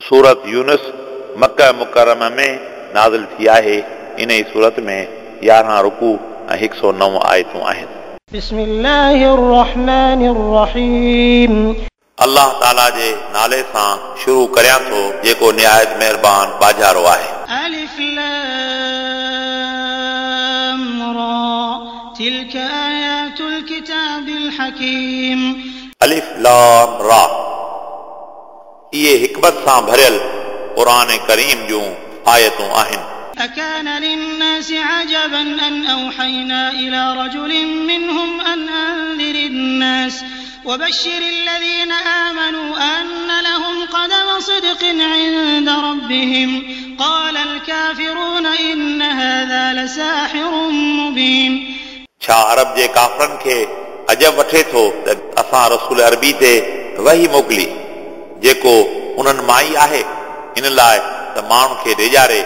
सूरत यूनुस मक्का मुकर्रमा में नाज़िल थी आहे। इन ई सूरत में 11 रुकू ऐं 109 आयतूं आहिनि। بسم الله الرحمن الرحيم। अल्लाह ताला जे नाले सां शुरू करियां थो जेको निहायत महिरबान बाजारो आहे। ألف لام را تلك آيات الكتاب الحكيم। अलिफ लाम रा इहे हिकमत सां भरियल क़ुर करीम जूं आयतूं आहिनि। أكان للناس عجبا أن أوحينا إلى رجل منهم أن أنذر الناس وبشر الذين آمنوا أن لهم قدم صدق عند ربهم قال الكافرون إن هذا لساحر مبين। छा अरब जे काफ़रनि खे अजब वठे थो त असां रसूल अरबी ते वही मोकिली जेको उन्हनि मां ई आहे, इन लाइ त माण्हुनि खे ॾेजारे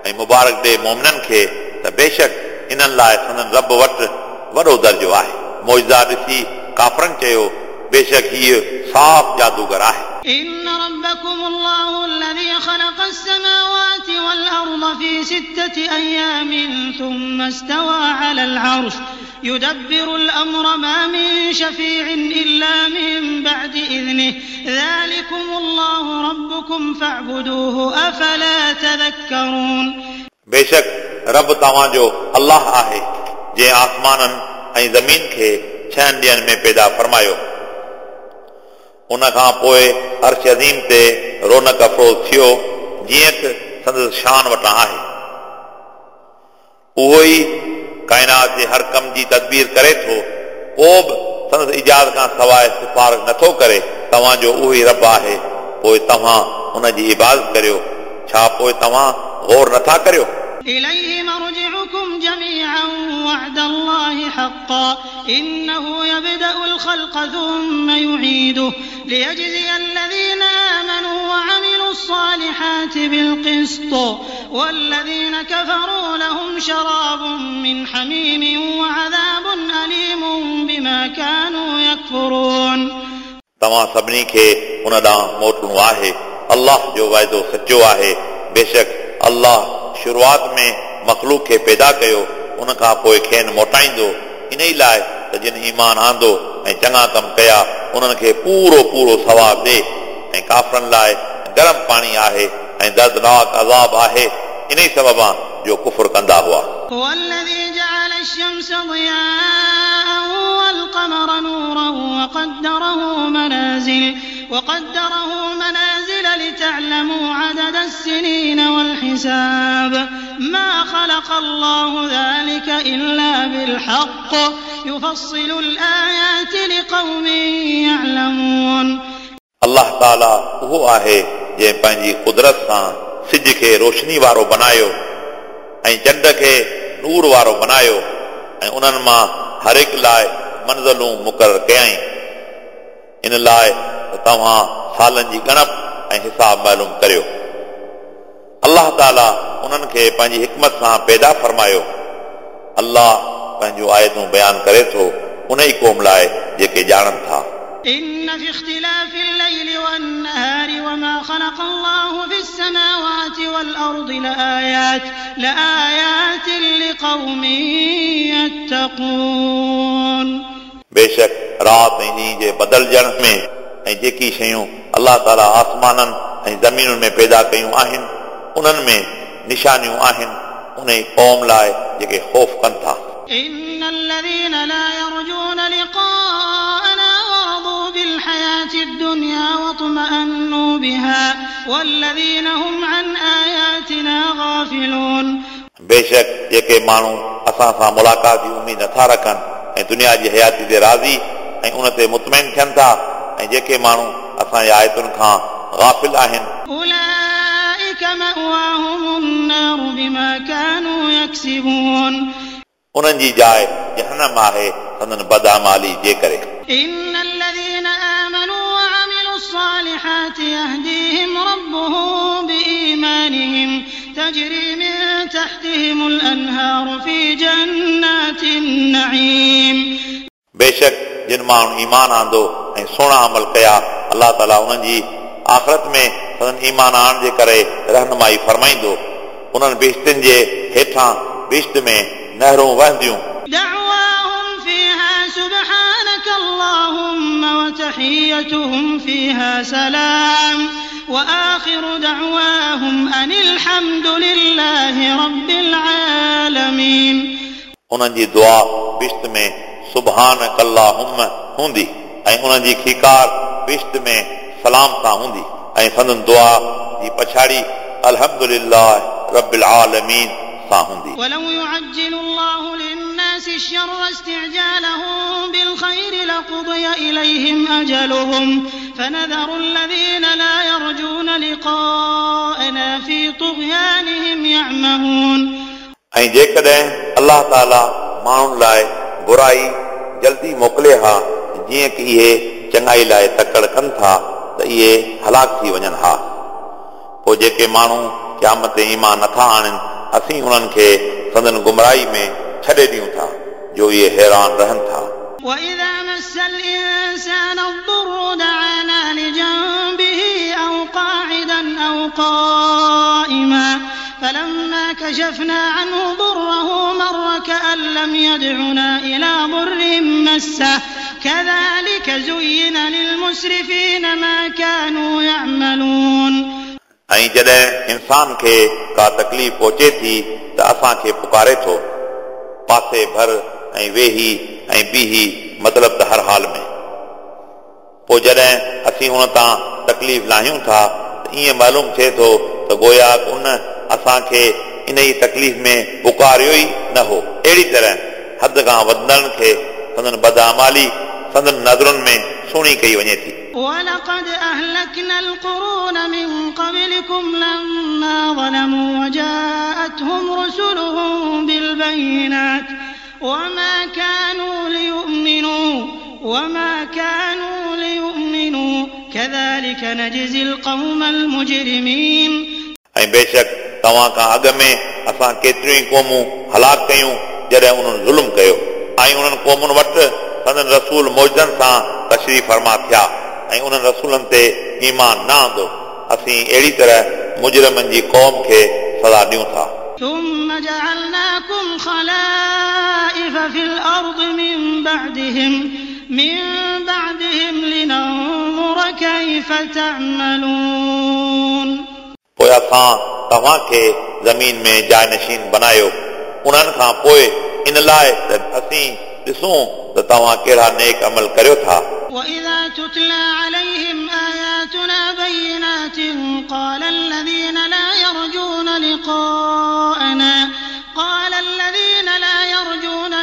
ऐं मुबारक ॾे मोमिननि खे त बेशक इन्हनि लाइ संदन रब वटि वॾो दर्जो आहे। मौजज़ा ॾिसी काफ़रनि चयो बेशक हीउ साफ़ जादूगर आहे। إن ربكم الله الذي خلق السماوات والأرض في 6 أيام ثم استوى على العرش يدبر الأمر ما من شفيع إلا من بعد إذنه ذلكم الله ربكم فاعبدوه أفلا تذكرون। बेशक रब तव्हांजो अल्लाह आहे जंहिं आसमाननि ऐं ज़मीन खे 6 ॾींहनि में पैदा फरमायो, उन खां पोइ अर्श अज़ीम ते रौनक अफ़रोज़ थियो जीअं त संदसि शान वटां आहे। उहो ई काइनात जे हर कम जी तदबीर करे थो, को बि संदसि इजाज़त खां सवाइ सिफारिश नथो करे। तव्हांजो उहो ई रब आहे, पोइ तव्हां उन जी इबादत करियो। छा पोइ तव्हां गौर नथा करियो? إليه مرجعكم جميعا وعد الله حقا إنه يبدأ الخلق ثم يعيده ليجزي الذين آمنوا وعملوا الصالحات بالقسط والذين كفروا لهم شراب من حميم وعذاب أليم بما كانوا يكفرون। तव्हां सभिनी खे उन ॾांहुं मोटणो आहे। अल्लाह जो वाइदो सचो आहे। बेशक अल्लाह शुरूआत में मख़लूक खे पैदा कयो, उन खां पोइ खेनि मोटाईंदो, इन ई लाइ त जिन ईमान आंदो ऐं चङा कम कया उन्हनि खे पूरो पूरो सवाब ॾे, ऐं काफ़रनि लाइ गरम पाणी आहे ऐं दर्दनाक अज़ाब आहे, इन ई सबबा जो कुफुर कंदा हुआ। هو الذي جعل الشمس ضياء والقمر نورا وقدره منازل لتعلموا عدد السنين والحساب ما خلق الله ذلك إلا بالحق يفصل الآيات لقوم يعلمون। अल्लाह ताला उहो आहे जंहिं पंहिंजी कुदरत सां सिज खे रोशनी वारो बनायो ऐं चंड खे नूर वारो बनायो ऐं उन्हनि मां हर हिकु लाइ मंज़िलूं मुक़ररु कयाईं, इन लाइ त तव्हां सालनि जी ॻणप ऐं हिसाब मालूम करियो। अल्लाह ताला उन्हनि खे पंहिंजी हिकमत सां पैदा फरमायो। अल्लाह पंहिंजूं आयतूं बयानु करे थो उन ई क़ौम लाइ जेके ॼाणनि था। إن في اختلاف الليل والنهار وما خلق الله في السماوات والأرض لآيات لقوم يتقون। बेशक राति ऐं ॾींहं जे बदिलजण में ऐं जेकी शयूं अल्लाह ताला आसमाननि ऐं ज़मीनुनि में पैदा कयूं आहिनि उन्हनि में निशानियूं आहिनि उन ई क़ौम लाइ जेके ख़ौफ़ कनि था। إن الذين لا يرجون لقاءنا ورضوا بالحياة الدنيا واطمأنوا بها والذين هم عن آياتنا غافلون। बेशक जेके माण्हू असां सां मुलाक़ात जी उमेद नथा रखनि ऐं दुनिया जी हयाती ते राज़ी ऐं उन ते मुतमैन थियनि था ऐं जेके माण्हू असांजी आयतुनि खां गाफ़िल आहिनि أولئك مأواهم النار بما كانوا يكسبون। उन्हनि जी जाइ जहनम आहे संदन बदआमाली जे करे। إن الذين آمنوا وعملوا الصالحات يهديهم ربهم بإيمانهم تجري من تحتهم الأنهار في جنات النعيم। बेशक जिन माण्हुनि ईमान आंदो ऐं सुहिणा अमल कया अल्लाह ताला उन्हनि जी आख़िरत में संदन ईमान आणण जे करे रहनुमाई फरमाईंदो। उन्हनि बिश्तिनि जे हेठां बिश्त में नहरूं वहंदियूं। دعواهم فيها سبحانك اللهم وتحيتهم فيها سلام وآخر دعواهم أن الحمد لله رب العالمين। उन्हनि जी दुआ बिश्त में सुभानक अल्लाहुम्म हूंदी ऐं उन्हनि जी खीकार बिश्त में सलाम सां हूंदी ऐं संदन दुआ जी पछाड़ी अल्हम्दुलिल्लाह रब्बिल आलमीन सां हूंदी। ولو يعجل الله للناس الشر استعجالهم بالخير لقضي إليهم أجلهم فنذر الذين لا يرجون لقاءنا في طغيانهم يعمهون। ऐं जेकॾहिं अलाह ताला माण्हुनि लाइ बुराई जल्दी मोकिले हा जीअं की इहे चङाई लाइ तकड़ कनि था त इहे हलाक थी वञनि हा। पोइ जेके माण्हू क़यामत ते ईमान नथा आणनि असीं उन्हनि खे संदन गुमराही में छॾे ॾियूं था जो इहे हैरान रहनि था। وإذا مس الإنسان الضر دعانا لجنبه أو قاعدا أو قائما فلما كشفنا عنه ضره مر كأن لم يدعنا إلى ضر مسه كذلك زين للمسرفين ما كانوا يعملون। ऐं जॾहिं इंसान खे का तकलीफ़ पहुचे थी त असांखे पुकारे थो पासे भर ऐं वेही ऐं बीही, मतिलबु त हर हाल में। पोइ जॾहिं असीं उन तां तकलीफ़ लाहियूं था त ईअं मालूम थिए थो त गोया उन असांखे इन ई तकलीफ़ में पुकारियो ई न हो। अहिड़ी तरह हद खां वधंदड़नि खे संदन बदआमाली संदन नज़रुनि में सुहिणी कई वञे थी। ولقد أهلكنا القرون من قبلكم لما ظلموا وجاءتهم رسلهم بالبينات وما كانوا ليؤمنوا كذلك نجزي القوم المجرمين। ऐं बेशक तव्हां खां अॻु में असां केतिरियूं ई क़ौमूं हलाक कयूं जॾहिं उन्हनि ज़ुल्म कयो ऐं उन्हनि क़ौमुनि वटि संदन रसूल मौजनि सां तशरीफ़ फरमा थिया ऐं उन्हनि रसूलनि ते ईमान न आंदो। असीं अहिड़ी तरह मुजरिमनि जी क़ौम खे सज़ा ॾियूं था। ثم جعلناكم خلائف في الأرض من بعدهم لننظر كيف تعملون। पोइ असां तव्हांखे ज़मीन में जायनशीन बनायो उन्हनि खां पोइ इन लाइ त असीं ॾिसूं त तव्हां कहिड़ा नेक अमल करियो था। وإذا تتلى عليهم آياتنا بينات قال الذين لا يرجون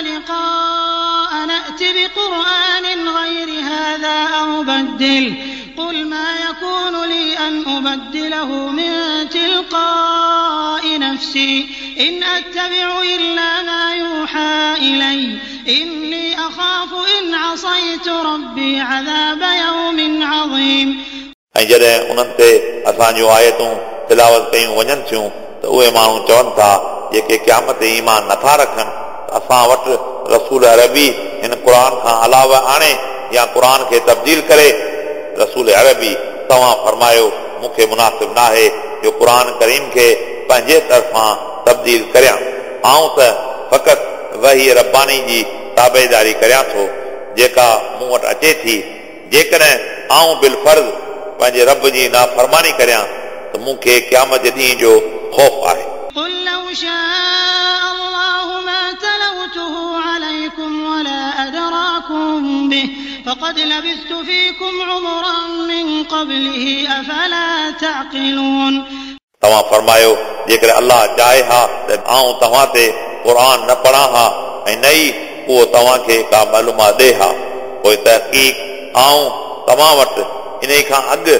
لقاءنا ائت بقرآن غير هذا أو بدله قل ما يكون لي أن أبدله من تلقاء نفسي إن أتبع إلا ما يوحى إلي إني أخاف إن عصيت ربي عذاب يوم عظيم। ऐं जॾहिं उन्हनि ते असांजूं आयतूं तिलावत कयूं वञनि थियूं त उहे माण्हू चवनि था जेके क़यामत ते ईमान नथा रखनि त असां वटि रसूल अरबी हिन क़ुर खां अलावा आणे या क़ुर खे तब्दील करे। रसूल अरबी तव्हां फरमायो मूंखे मुनासिब नाहे जो क़ुर करीम खे पंहिंजे तरफ़ां तब्दील करियां। आउं त फ़क़ति वही रब्बानी जी ताबेदारी करियां थो जेका मूं वटि अचे थी। जेकॾहिं आउं बिलफर्ज़ पंहिंजे रब जी नाफ़रमानी करियां त मूंखे क़यामत जे ॾींहं जो ख़ौफ़ आहे। قل لو شاء الله ما تلوته عليكم ولا أدراكم به فقد لبثت فيكم عمرا من قبله أفلا تعقلون। तव्हां फरमायो जेकॾहिं अलाह चाहे हा त आउं तव्हां ते क़ुर न पढ़ां हा ऐं न ई उहो तव्हांखे का मालूमात ॾे हा। पोइ तहक़ीक़ आउं तव्हां वटि इन खां अॻु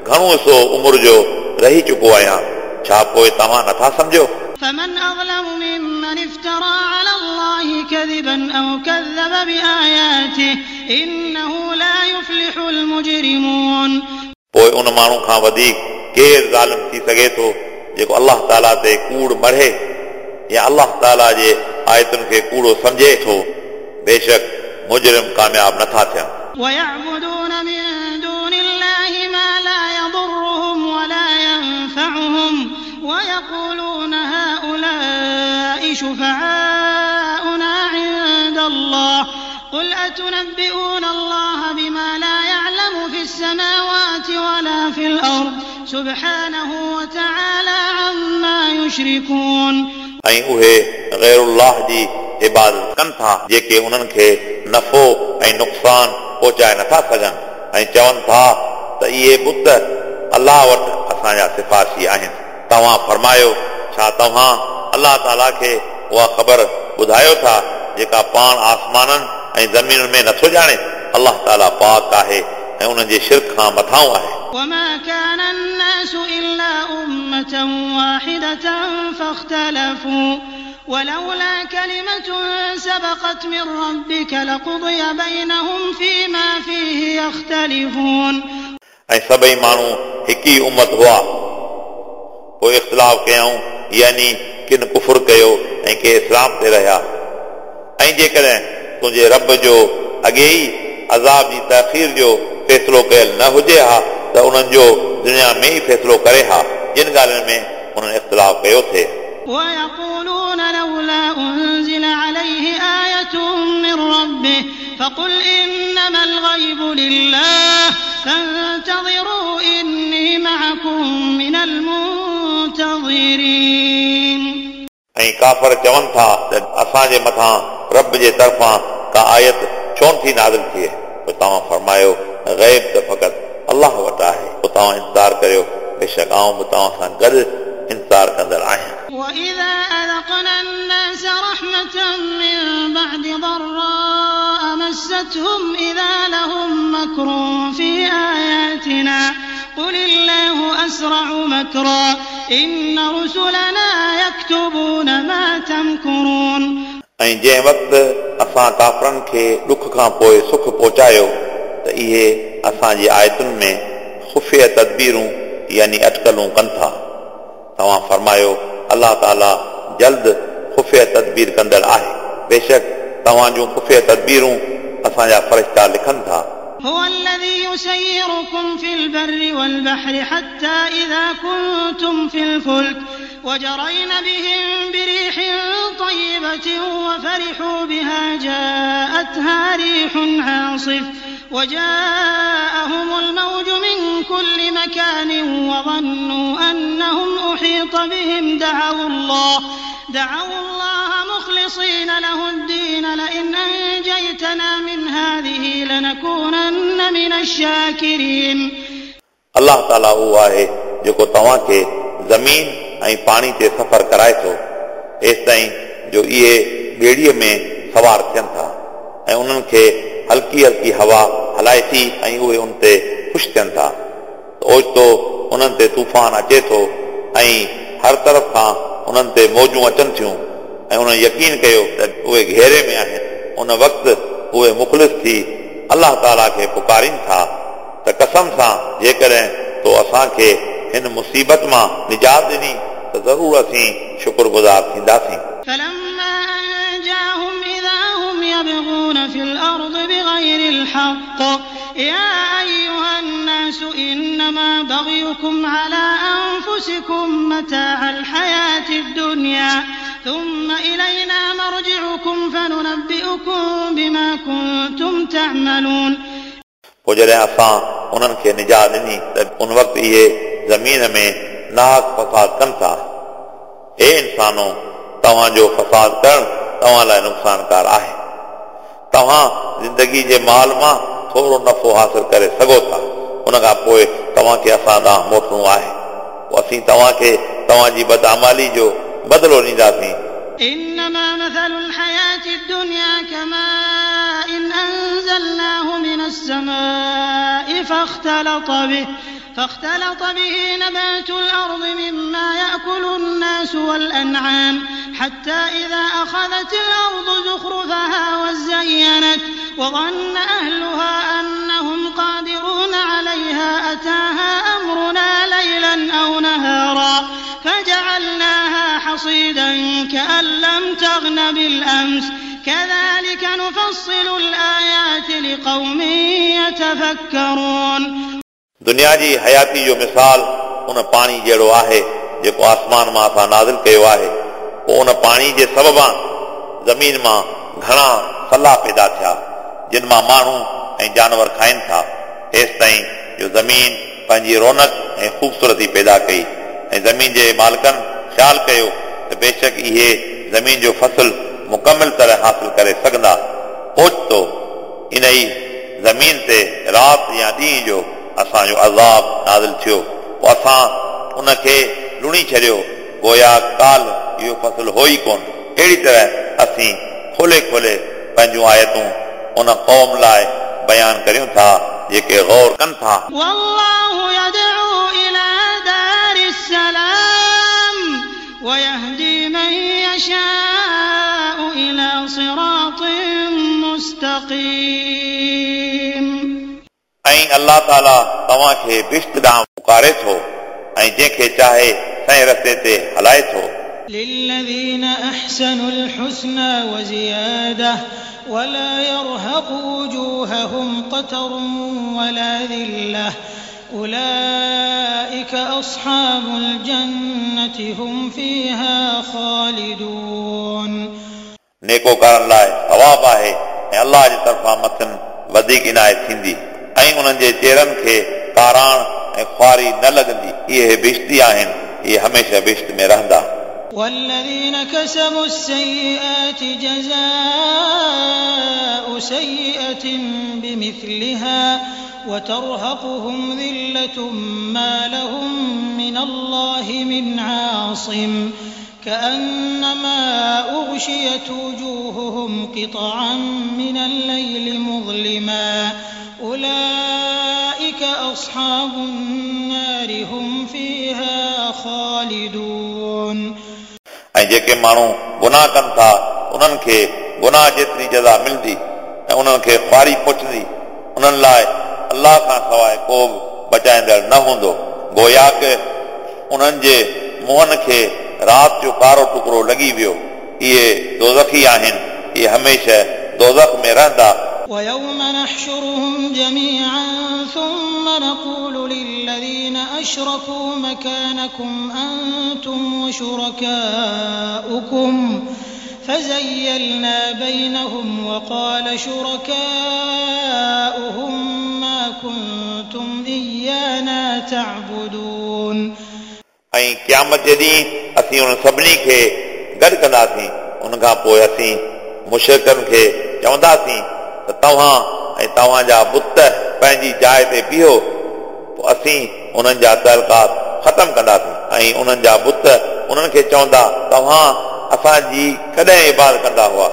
घणो हिसो उमिरि जो रही चुको आहियां, छा पोइ तव्हां नथा सम्झो? فمن أظلم ممن افترى على الله كذبا أو كذب بآياته إنه لا يفلح المجرمون। पोइ उन माण्हू खां वधीक केरु ज़ालिम थी सघे थो जेको अलाह ताला ते कूड़ मढ़े या अलाह ताला जे आयतुनि खे कूड़ो सम्झे थो। बेशक मुजरिम कामयाब नथा थियनि। ويعبدون من دون الله ما لا يضرهم ولا تنفعهم ويقولون هؤلاء شفعاؤنا عند الله قل أتنبئون الله بما لا يعلم في السماوات ولا في الأرض سبحانه وتعالى عما يشركون. ऐं उहे ग़ैरुल्लाह जी इबादत कनि था जेके उन्हनि खे नफ़ो ऐं नुक़सानु पहुचाए नथा सघनि ऐं चवनि था त इहे बुत अलाह वटि असांजा सिफारिशी आहिनि। तव्हां फरमायो, छा तव्हां अलाह ताला खे उहा ख़बर ॿुधायो था जेका पाण आसमाननि ऐं ज़मीनुनि में नथो ॼाणे? अलाह ताला पाक आहे ऐं उन्हनि जे शिरक खां मथाऊं आहे। وما كان الناس إلا أمة واحدة فاختلفوا ولولا كلمة سبقت من ربك لقضي بينهم فيما فيه يختلفون. ऐं सभई माण्हू हिकु ई उमत हुआ, पोइ इख़्तिलाफ़ कयऊं, यानी किन कुफुर कयो ऐं के इस्लाम ते रहिया। ऐं जेकॾहिं तुंहिंजे रब जो अॻे ई अज़ाब जी तख़ीर जो फ़ैसिलो कयल न हुजे हा त उन्हनि जो दुनिया में ई फ़ैसिलो करे हा जिन ॻाल्हियुनि में उन्हनि इख़्तिलाफ़ कयो थिए। ويقولون لولا أنزل عليه آية من ربه فقل إنما الغيب لله فانتظروا إني معكم من المنتظرين. ऐं काफ़र चवनि था त असांजे मथां रब जे तरफ़ां का आयत छो नथी नाज़िल थिए? पोइ तव्हां फरमायो, ग़ैब त फ़क़ति अलाह वटि आहे, पोइ तव्हां इंतज़ार करियो, बेशक आउं बि तव्हां सां गॾु इंतज़ार कंदड़ आहियां। وإذا أذقنا الناس رحمة من بعد ضراء مستهم إذا لهم مكر في آياتنا قل الله أسرع مكرا إن رسلنا يكتبون ما تمكرون. ऐं जंहिं वक़्तु असां काफ़रनि खे ॾुख खां पोइ सुख पहुचायो त इहे असांजी आयतुनि में ख़ुफ़िया तदबीरूं यानी अटकलूं कनि था। तव्हां फरमायो, अलाह ताला जल्द ख़ुफ़िया तदबीर कंदड़ आहे, बेशक तव्हां जूं ख़ुफ़िया तदबीरूं असांजा फ़रिश्ता लिखनि था। هو الذي يسيركم في البر والبحر حتى إذا كنتم في الفلك وجرين بهم بريح طيبة وفرحوا بها جاءتها ريح عاصف وجاءهم الموج من كل مكان وظنوا أنهم أحيط بهم دعوا الله مخلصين له الدين لئن أنجيتنا من هذه لنكونن من الشاكرين. अलाह ताला उहो आहे जेको तव्हांखे ज़मीन ऐं पाणी ते सफ़र कराए थो एसि ताईं जो इहे ॿेड़ीअ में सवार थियनि था ऐं उन्हनि खे हल्की हल्की हवा हलाए थी ऐं उहे उन ते ख़ुशि थियनि था। त ओचितो उन्हनि ते तूफ़ान अचे थो ऐं हर तरफ़ खां उन्हनि ते मौजूं अचनि थियूं ऐं उन्हनि यकीन कयो त उहे घेरे में आहिनि। उन वक़्तु उहे मुख़लिस थी अलाह ताला खे पुकारीनि था त कसम सां जेकॾहिं तो असांखे हिन मुसीबत मां निजात ॾिनी त ज़रूरु असीं शुक्रगुज़ार थींदासीं। فلما أنجاهم إذا هم يبغون في الأرض بغير الحق يا أيها الناس إنما بغيكم على أنفسكم متاع الحياة الدنيا ثم إلينا مرجعكم فننبئكم بما كنتم تعملون. पोइ जॾहिं असां उन्हनि खे निजात ॾिनी त उन वक़्तु इहे ज़मीन में नाहक फसाद कनि था। हे इंसानो, तव्हांजो फसाद करणु तव्हां लाइ नुक़सानकार आहे। तव्हां ज़िंदगी जे माल मां थोरो नफ़ो हासिल करे सघो था, उन खां पोइ तव्हांखे असां ॾांहुं मोटणो आहे, पोइ असीं तव्हांखे तव्हांजी बदआमाली जो बदिलो ॾींदासीं। إنما مثل الحياة الدنيا كماء أنزلناه من السماء فاختلط به نبات الأرض مما يأكل الناس والأنعام حتى إذا أخذت الأرض زخرفها وزينت وظن أهلها أنهم قادرون عليها أتاها أمرنا ليلا أو نهارا فجعلناها حصيدا كأن لم تغن بالأمس كذلك نفصل الآيات لقوم يتفكرون. दुनिया जी हयाती जो मिसाल उन पाणी जहिड़ो आहे जेको आसमान मां असां नाज़िल कयो आहे। पोइ उन पाणी जे सबबां ज़मीन मां घणा सला पैदा थिया जिन मां माण्हू ऐं जानवर खाइनि था, हेसि ताईं जो ज़मीन पंहिंजी रौनक ऐं ख़ूबसूरती पैदा कई। ऐं ज़मीन जे मालिकनि ख़्यालु कयो त बेशक इहे ज़मीन जो फसल मुकमल तरह हासिल करे सघंदा। ओचितो इन ई ज़मीन ते राति या ॾींहुं जो असांजो अज़ाब नाज़िल थियो, पोइ असां उनखे लुणी छॾियो, गोया काल इहो फसल हो ई कोन। अहिड़ी तरह असीं खोले खोले पंहिंजूं आयतूं उन क़ौम लाइ बयान करियूं था जेके गौर कनि था। वल्लाहु यदऊ इला दारिस सलाम वयहदी मन यशाउ इला सिरातिन मुस्तक़ीम। ऐं अल्लाह ताला तव्हांखे बिश्त ॾांहुं पुकारे थो ऐं जंहिंखे चाहे सही रस्ते ते हलाए थो। लिल्लज़ीन अहसनुल हुस्ना वज़ियादा वला यरहक़ु वुजूहहुम क़तरुन वला ज़िल्लह उलाइक अस्हाबुल जन्नति हुम फ़ीहा ख़ालिदून। नेकोकारनि लाइ सवाब आहे ऐं अल्लाह जे तरफ़ां मथनि वधीक इनायत थींदी ऐं उन्हनि जे चेहरनि खे काराण ऐं ख़ुआरी न लॻंदी। इहे बिश्ती आहिनि, इहे हमेशह बिश्त में रहंदा। वल्लज़ीन कसबु अस्सय्यिआति जज़ाउ सय्यिअतिन बिमिस्लिहा वतरहक़ुहुम ज़िल्लतुम मा लहुम मिनल्लाहि मिन आसिम कअन्नमा उग़शियत वुजूहुहुम क़ितअन मिनल लैलि मुज़लिमा उलाइक अस्हाबुन नारि हुम फ़ीहा ख़ालिदून। ऐं जेके माण्हू गुनाह कनि था उन्हनि खे गुनाह जेतिरी जज़ा मिलंदी ऐं उन्हनि खे ख़ुआरी पहुचंदी, उन्हनि लाइ अल्लाह खां सवाइ को बि बचाईंदड़ न हूंदो। गोया कि उन्हनि जे मुंहनि खे राति जो कारो टुकड़ो लॻी वियो। इहे दोज़खी आहिनि, इहे हमेशह दोज़ख में रहंदा। वयौम नहशुरुहुम जमीअन थुम्म नक़ूलु लिल्लज़ीन अशरकू मकानकुम अंतुम वशुरकाउकुम फज़य्यलना बैनहुम वक़ाल शुरकाउहुम मा कुंतुम इय्याना तअबुदून। ऐं क़यामत जे ॾींहुं असीं उन्हनि सभिनी खे गॾु कंदासीं। उन खां पोइ असीं मुशरिकनि खे चवंदासीं त तव्हां ऐं तव्हांजा बुत पंहिंजी जाइ ते बीहो, पोइ असीं उन्हनि जा तअलुकात ख़तमु कंदासीं। ऐं उन्हनि जा बुत उन्हनि खे चवंदा, तव्हां असांजी कॾहिं इबादत कंदा हुआ।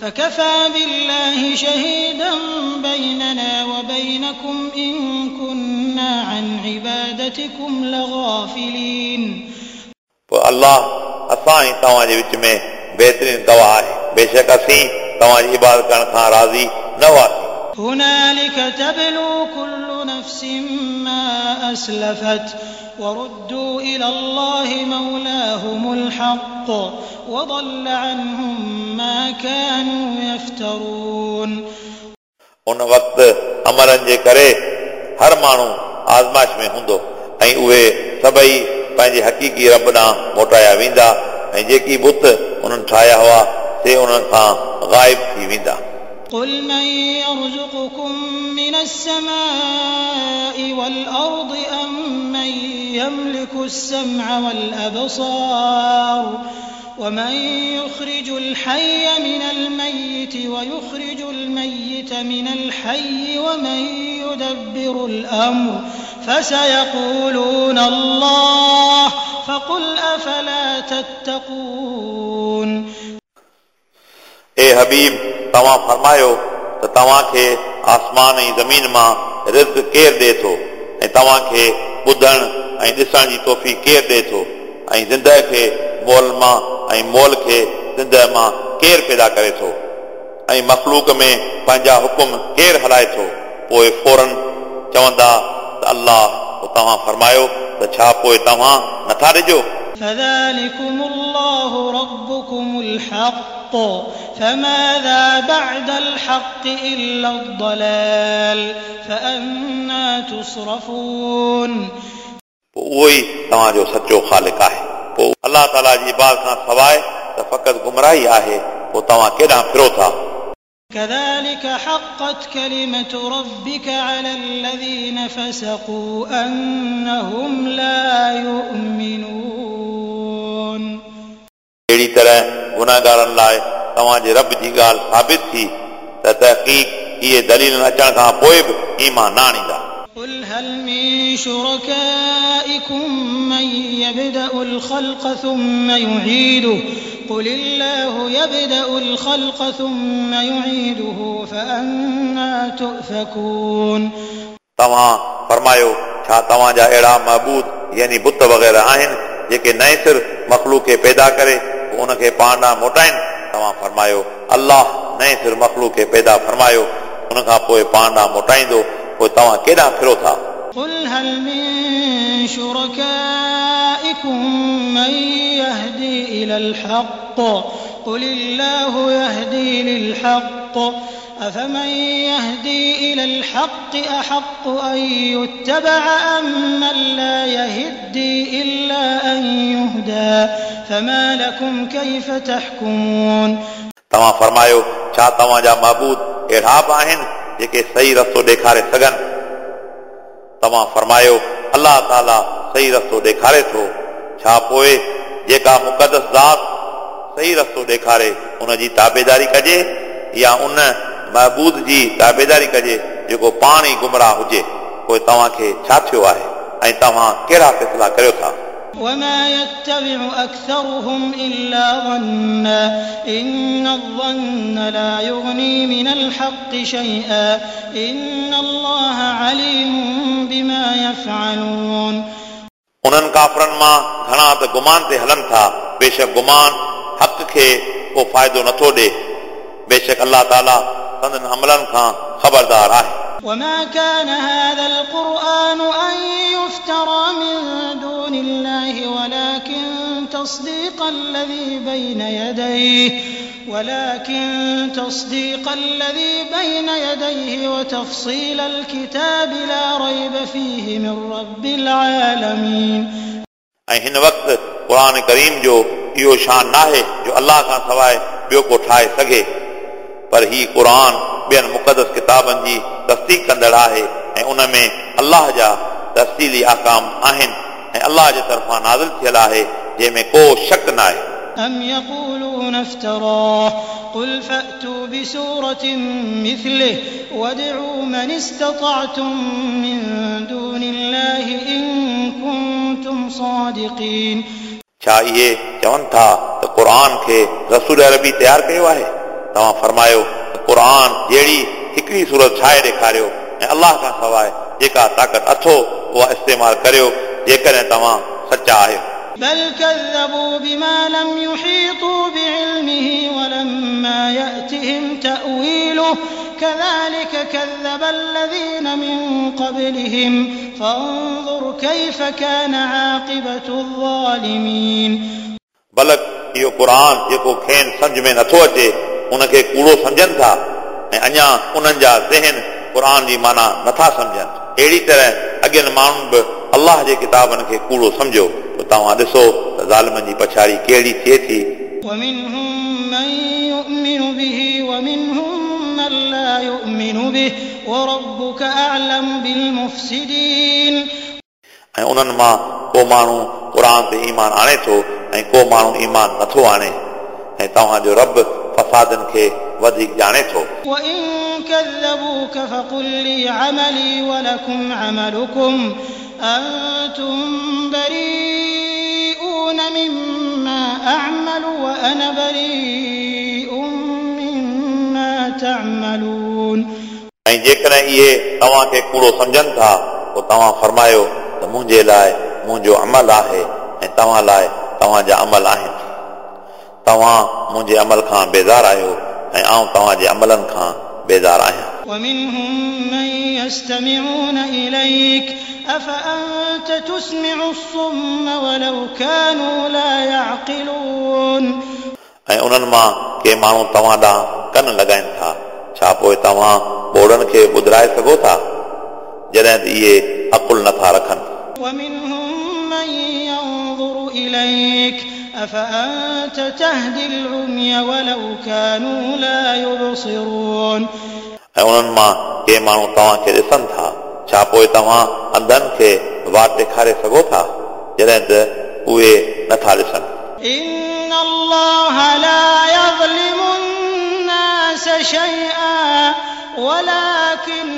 फकफा बिल्लाहि शहीदन बैनना व बैनकुम इन कुन्ना अन इबादतिकुम लगाफिलीन। पोइ अल्लाह असां ऐं तव्हांजे विच में बहितरीन गवाह आहे, बेशक असीं तव्हांजी इबादत करण खां राज़ी न हुआसीं। हुनालिक तबलू कुल्लु नफ्सिन मा अस्लफत वरुद्दू इलल्लाहि मौलाहुमुल हक़्क़ वضल अन्हुम मा कानू यफ्तरून। उन वक़्तु अमलनि जे करे हर माण्हू आज़माइश में हूंदो ऐं उहे सभई पंहिंजे हक़ीक़ी रब ॾांहुं मोटाया वेंदा ऐं जेकी बुत उन्हनि ठाहिया हुआ से उन्हनि खां ग़ाइब थी वेंदा। क़ुल मन यरज़ुकुकुम मिनस समाइ वल अर्दि अम्मन यमलिकुस सम्अ वल अबसार वमन युखरिजुल हय्य मिनल मय्यिति वयुखरिजुल मय्यित मिनल हय्यि वमन युदब्बिरुल अम्र फसयक़ूलून अल्लाह फक़ुल अफला तत्तक़ून। ए हबीब, तव्हां फरमायो त तव्हांखे आसमान ऐं ज़मीन मां रिज़्क केरु ॾिए थो ऐं तव्हांखे ॿुधण ऐं ॾिसण जी तौफ़ीक़ केरु ॾिए थो ऐं ज़िंदह खे मोल मां ऐं मोल खे ज़िंदह मां केरु पैदा करे थो ऐं मख़लूक में पंहिंजा हुकुम केरु हलाए थो? पोइ फ़ौरन चवंदा त अल्लाह। पोइ तव्हां फरमायो त छा पोइ तव्हां नथा ॾिजो? फज़ालिकुमुल्लाहु रब्बुकुमुल हक़्क़ फमाज़ा बअदल हक़्क़ि इल्लद-दलाल फअन्ना तुसरफून। पोइ उहो ई तव्हांजो सचो ख़ालिक आहे। पोइ अलाह ताला जी इबादत खां सवाइ त फ़क़ति गुमराही आहे, पोइ तव्हां केॾांहुं फिरो था? كذلك حقت كلمة ربك على الذين فسقوا أنهم لا يؤمنون। अहिड़ी तरह गुनाहगारनि लाइ तव्हांजे रब जी ॻाल्हि साबित थी त तहक़ीक़ इहे दलीलनि अचण खां पोइ बि ईमान न आणींदा। قل هل من شركائكم من يبدأ الخلق ثم يعيده قل الله يبدأ الخلق ثم يعيده فأنى تؤفكون। तव्हां फरमायो, छा तव्हांजा अहिड़ा महबूद यानी बुत वग़ैरह आहिनि जेके नए सिर मख़लूक खे पैदा करे पोइ उनखे पाण ॾांहुं मोटाइनि? तव्हां फरमायो, अलाह नए सिर मख़लूक खे पैदा फरमायो, उन खां पोइ पाण ॾांहुं मोटाईंदो, पोइ तव्हां केॾांहुं फिरो था? قل هل من شركائكم من يهدي إلى الحق قل الله يهدي للحق أفمن يهدي إلى الحق أحق أن يتبع أم من لا يهدي إلا أن يهدى فما لكم كيف تحكمون। तव्हां फरमायो, छा तव्हांजा महबूद अहिड़ा बि आहिनि जेके सही रस्तो ॾेखारे सघनि? तव्हां फरमायो, अलाह ताला सही रस्तो ॾेखारे थो। छा पोइ जेका मुक़दस ज़ात सही रस्तो ॾेखारे उन जी ताबेदारी कजे या उन महबूद जी ताबेदारी कजे जेको पाण ई गुमराह हुजे? पोइ तव्हांखे छा थियो आहे ऐं तव्हां कहिड़ा फ़ैसिला करियो था? وما يتبع أكثرهم إلا ظنا إن الظن لا يغني من الحق شيئا إن الله عليم بما يفعلون। उन्हनि काफ़रनि मां घणा त गुमान ते हलनि था, बेशक गुमान हक़ खे को फ़ाइदो नथो ॾिए, बेशक अलाह ताला संदन अमलनि खां ख़बरदार आहे। وما كان هذا القرآن أن يفترى من دون الله ولكن تصديق الذي بين يديه وتفصيل الكتاب لا ريب فيه من رب العالمين। ऐं हिन वक़्तु क़ुर करीम जो इहो शान नाहे जो अलाह खां सवाइ ॿियो को ठाहे सघे, पर ही क़ुर ॿियनि मुक़दस किताबनि जी तस्दीक कंदड़ आहे ऐं उन में अलाह जा तफ़सीली अहकाम आहिनि ऐं अलाह जे तरफ़ां नाज़िल थियल आहे जंहिंमें को शक न आहे। أم يقولون افتراه قل فأتوا بسورة مثله وادعوا من استطعتم من دون الله إن كنتم صادقين। छा इहे चवनि था त क़ुर खे रसूल अरबी तयारु कयो आहे? तव्हां फरमायो त क़ुर जहिड़ी हिकिड़ी सूरत ठाहे ॾेखारियो ऐं अलाह खां सवाइ जेका ताक़त अथो उहा इस्तेमालु करियो जेकॾहिं तव्हां सचा आहियो। بل كذبوا بما لم يحيطوا بعلمه ولما يأتهم تأويله كذلك كذب الذين من قبلهم فانظر كيف كان عاقبة الظالمين। बलक इहो क़ुर जेको खेनि सम्झ में नथो अचे उनखे कूड़ो सम्झनि था ऐं अञा उन्हनि जा ज़हन क़ुर जी माना नथा सम्झनि। अहिड़ी तरह अॻियनि माण्हुनि बि अलाह जे किताबनि खे कूड़ो सम्झो, त तव्हां ॾिसो त ज़ालिमनि जी पछाड़ी कहिड़ी थिए थी। ومنهم من يؤمن به ومنهم من لا يؤمن به وربك أعلم بالمفسدين। ऐं उन्हनि मां को माण्हू क़ुर ते ईमान आणे थो ऐं को माण्हू ईमान नथो आणे, ऐं तव्हांजो रब फसादनि खे वधीक ॼाणे थो। وإن كذبوك فقل لي عملي ولكم عملكم أنتم بريئون مما أعمل وأنا بريء مما تعملون। ऐं जेकॾहिं इहे तव्हांखे कूड़ो सम्झनि था पोइ तव्हां फरमायो त मुंहिंजे लाइ मुंहिंजो अमल आहे ऐं तव्हां लाइ तव्हांजा अमल आहिनि। तव्हां मुंहिंजे अमल खां बेज़ार आहियो ऐं आउं तव्हांजे अमलनि खां बेज़ार आहियां। ومنهم من يستمعون إليك أفأنت تسمع الصم ولو كانوا لا يعقلون। ऐं उन्हनि मां के माण्हू तव्हां ॾांहुं कन लॻाइनि था, छा पोइ तव्हां ॿोड़नि खे ॿुधाए सघो था जॾहिं त इहे अकुल नथा रखनि? ومنهم من ينظر إليك أفأنت تهدي العمي ولو كانوا لا يبصرون. ऐं उन्हनि मां के माण्हू तव्हांखे ॾिसनि था, छा पोइ तव्हां अंधनि खे वाट ॾेखारे सघो था जॾहिं त उहे नथा ॾिसनि? إن الله لا يظلم الناس شيئا ولكن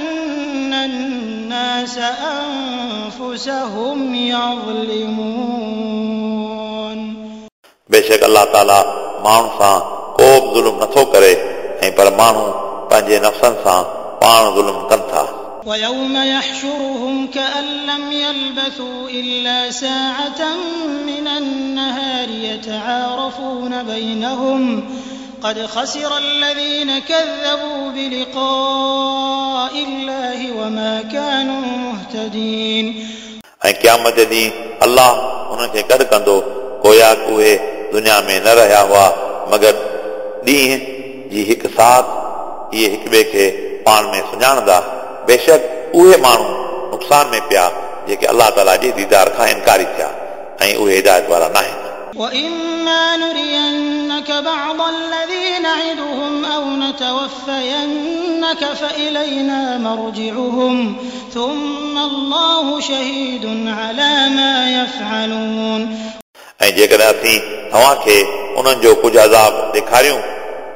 الناس أنفسهم يظلمون. बेशक अलाह ताला माण्हुनि सां को बि ज़ुल्म नथो करे ऐं पर माण्हू पंहिंजे नफ़्सनि सां पाण ज़ुल्म कनि था। ويوم يحشرهم كأن لم يلبثوا إلا ساعة من النهار يتعارفون بينهم قد خسر الذين كذبوا بلقاء الله وما كانوا مهتدين. ऐं क़यामत जे ॾींहुं अलाह उन्हनि खे गॾु कंदो, गोया उहे दुनिया में न रहिया हुआ मगर ॾींहं जी हिकु साथ इहे हिक ॿिए खे पाण में सुञाणंदा। बेशक उहे माण्हू नुक़सान में पिया जेके अलाह ताला जे दीदार खां इनकारी थिया ऐं उहे हिदायत वारा न आहिनि। وإما نرينك بعض الذي نعدهم أو نتوفينك فإلينا مرجعهم ثم الله شهيد على ما يفعلون. ऐं जेकॾहिं असीं तव्हांखे उन्हनि जो कुझु अज़ाब ॾेखारियूं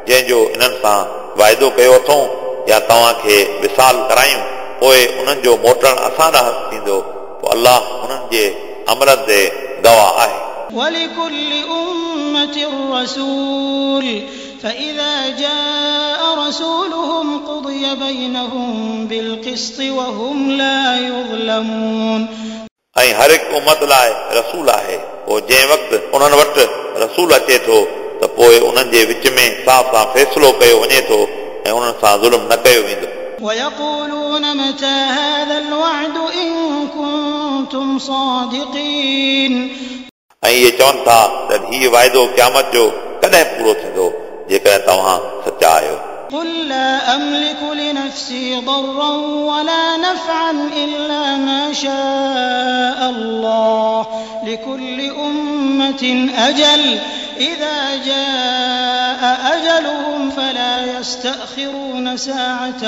जंहिंजो इन्हनि सां वाइदो कयो अथऊं या तव्हांखे विसाल करायूं, पोइ उन्हनि जो मोटणु असां ॾांहुं थींदो, पोइ अलाह उन्हनि जे अमलनि ते गवाह आहे। ولكل أمة رسول فإذا جاء رسولهم قضي بينهم بالقسط وهم لا يظلمون. ऐं हर हिकु उमत लाइ रसूल आहे, पोइ जंहिं वक़्तु उन्हनि वटि रसूल अचे थो त पोइ उन्हनि जे विच में इंसाफ़ सां फ़ैसिलो कयो वञे थो ऐं उन्हनि सां ज़ुल्म न कयो वेंदो। ويقولون متى هذا الوعد إن كنتم صادقين. ऐं इहे चवनि था त हीउ वाइदो क़यामत जो कॾहिं पूरो थींदो जेकॾहिं तव्हां सचा आहियो। قل لا أملك لنفسي ضرا ولا نفعا إلا ما شاء الله لكل أمة أجل إذا جاء أجلهم فلا يستأخرون ساعة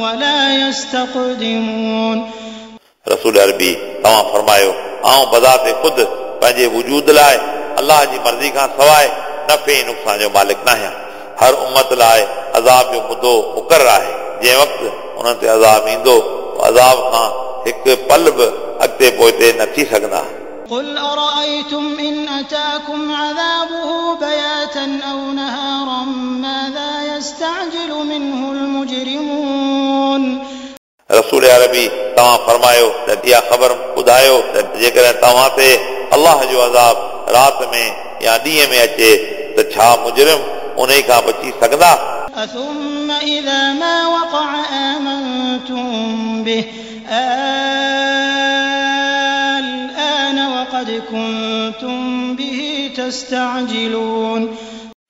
ولا يستقدمون. रसूल अरबी तव्हां फरमायो, आउं बज़ाते ख़ुदि पंहिंजे वजूद लाइ अलाह जी मर्ज़ी खां सवाइ नफ़े ऐं नुक़सान जो मालिक न आहियां। हर उमत लाइ अज़ाब जो मुदो मुक़ररु आहे, जंहिं वक़्तु उन्हनि ते अज़ाब ईंदो अज़ाब खां हिकु पल बि अॻिते पोइते न थी सघंदा। قل أرأيتم إن أتاكم عذابه بياتا أو نهارا ماذا يستعجل منه المجرمون. रसूल अरबी तव्हां फरमायो त इहा ख़बर ॿुधायो त जेकॾहिं तव्हां ते अलाह जो अज़ाब राति में या ॾींहं में अचे त छा मुजरिम उन खां बची सघंदा? ثم إذا ما وقع آمنتم به الآن وقد كنتم به تستعجلون.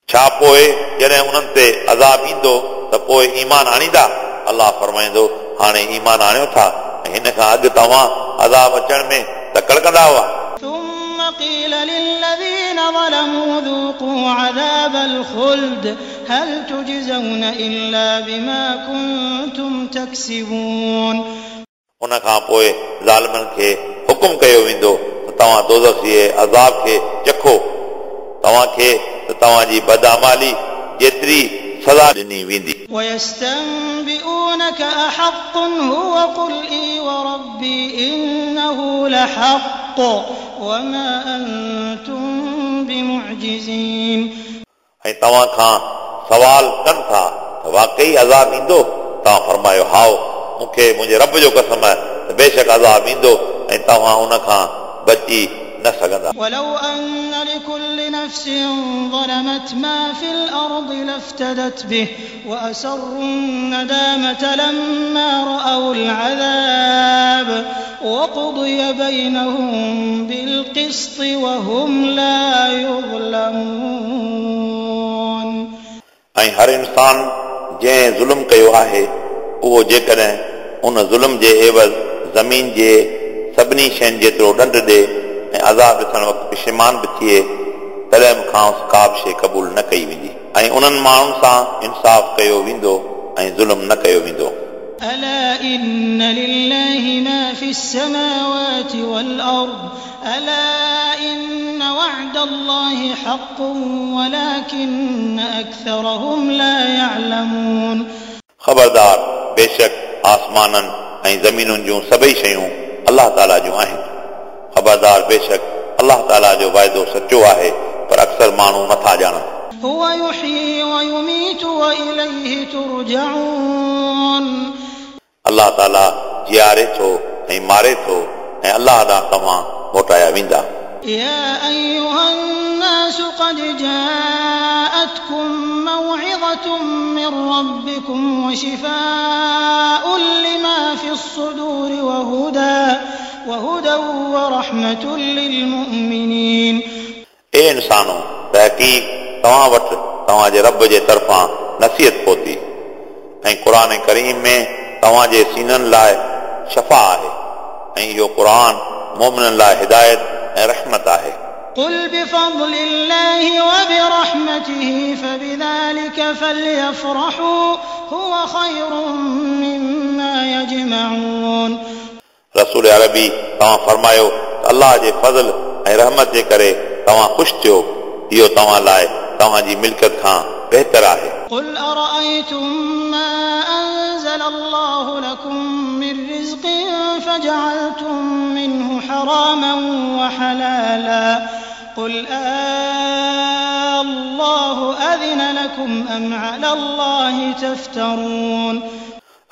छा पोइ जॾहिं उन्हनि ते अज़ाब ईंदो त पोइ ईमान आणींदा? अलाह फरमाईंदो, हाणे ईमान आणियो था ऐं हिन खां अॻु तव्हां अज़ाब अचण में तकड़ कंदा हुआ। ثم قيل للذين ظلموا ذوقوا عذاب الخلد هل تجزون إلا بما كنتم تكسبون. उन खां पोइ ज़ालिमनि खे हुकुम कयो वेंदो त तव्हां दोज़ख जे अज़ाब खे चखो, तव्हांखे त तव्हांजी बदआमाली जेतिरी सज़ा ॾिनी वेंदी। ويستنبئونك أحق هو قل إي وربي إنه لحق وما أنتم بمعجزين. ऐं तव्हां खां सवाल कनि था त वाकई अज़ाब ईंदो? तव्हां फरमायो, हाओ, मूंखे मुंहिंजे रब जो कसम आहे त बेशक अज़ाब ईंदो ऐं तव्हां उन खां बची न सघंदा। ولو أن لكل نفس ظلمت ما في الأرض لافتدت به وأسروا الندامة لما رأوا العذاب وقضي بينهم بالقسط وهم لا يظلمون. ऐं हर इंसान जंहिं ज़ुल्म कयो आहे उहो जेकॾहिं उन ज़ुल्म जे एवज़ ज़मीन जे सभिनी शयुनि जेतिरो ॾंढ ॾे ऐं अज़ाब ॾिसण वक़्तु पिशेमान बि थिए, तॾहिं बि खांसि का बि शइ क़बूल न कई वेंदी ऐं उन्हनि माण्हुनि सां इंसाफ़ कयो वेंदो ऐं ज़ुल्म न कयो वेंदो। ألا إن لله ما في السماوات والأرض ألا إن وعد الله حق ولكن أكثرهم لا يعلمون। ख़बरदार, बेशक आसमाननि ऐं ज़मीनुनि जूं सभई शयूं अलाह ताला जूं आहिनि। ख़बरदार, बेशक अलाह ताला जो वाइदो सचो आहे, पर अक्सर माण्हू नथा ॼाणनि। هو يحيي ويميت وإليه ترجعون। अलाह ताला जीआरे थो ऐं मारे थो ऐं अलाह ॾांहुं तव्हां मोटाया वेंदा। يا أيها الناس قد جاءتكم موعظة من ربكم وشفاء لما في الصدور وهدى ورحمة للمؤمنين। ए इंसानो, तहक़ीक़ तव्हां वटि तव्हांजे रब जे तरफ़ां नसीहत पहुती ऐं क़ुर करीम में तव्हांजे सीननि लाइ शफ़ा आहे ऐं इहो क़ुर मोमिननि लाइ हिदायत ऐं रहमत आहे। قل بفضل الله وبرحمته فبذلك فليفرحوا هو خير مما يجمعون। रसूल अरबी तव्हां फरमायो त अलाह जे फज़ल ऐं रहमत जे करे तव्हां ख़ुशि थियो, इहो तव्हां लाइ तव्हांजी मिल्कियत खां बहितर आहे। قل أرأيتم ما أنزل الله لكم من رزق فجعلتم منه حراما وحلالا قل الله أذن لكم أم على الله تفترون।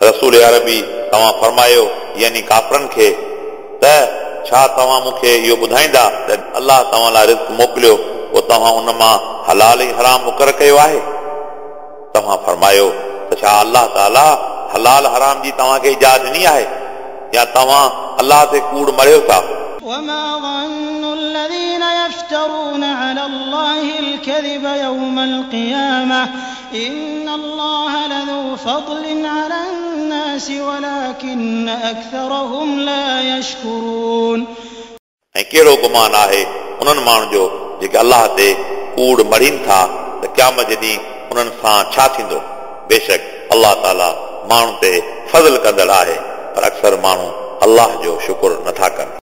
रसूल अरबी तव्हां फरमायो, यानी काफ़रनि खे, त छा तव्हां मूंखे इहो ॿुधाईंदा त अलाह तव्हां लाइ रिज़्क मोकिलियो, पोइ तव्हां उन मां हलाल ऐं हराम मुक़ररु कयो आहे? तव्हां फरमायो त छा अलाह ताला हलाल हराम जी तव्हांखे इजाज़त ॾिनी आहे या तव्हां अलाह ते कूड़ मरियो था? وما ظن الذين يفترون على الله الكذب يوم القيامة إن الله لذو فضل على الناس ولكن أكثرهم لا يشكرون। ऐं कहिड़ो गुमान आहे उन्हनि माण्हुनि जो जेके अलाह ते कूड़ मढ़ीनि था त क़यामत जे ॾींहुं उन्हनि सां छा थींदो? बेशक अलाह ताला माण्हुनि ते फज़ल कंदड़ आहे, पर अक्सर माण्हू अलाह जो शुक्र नथा कनि।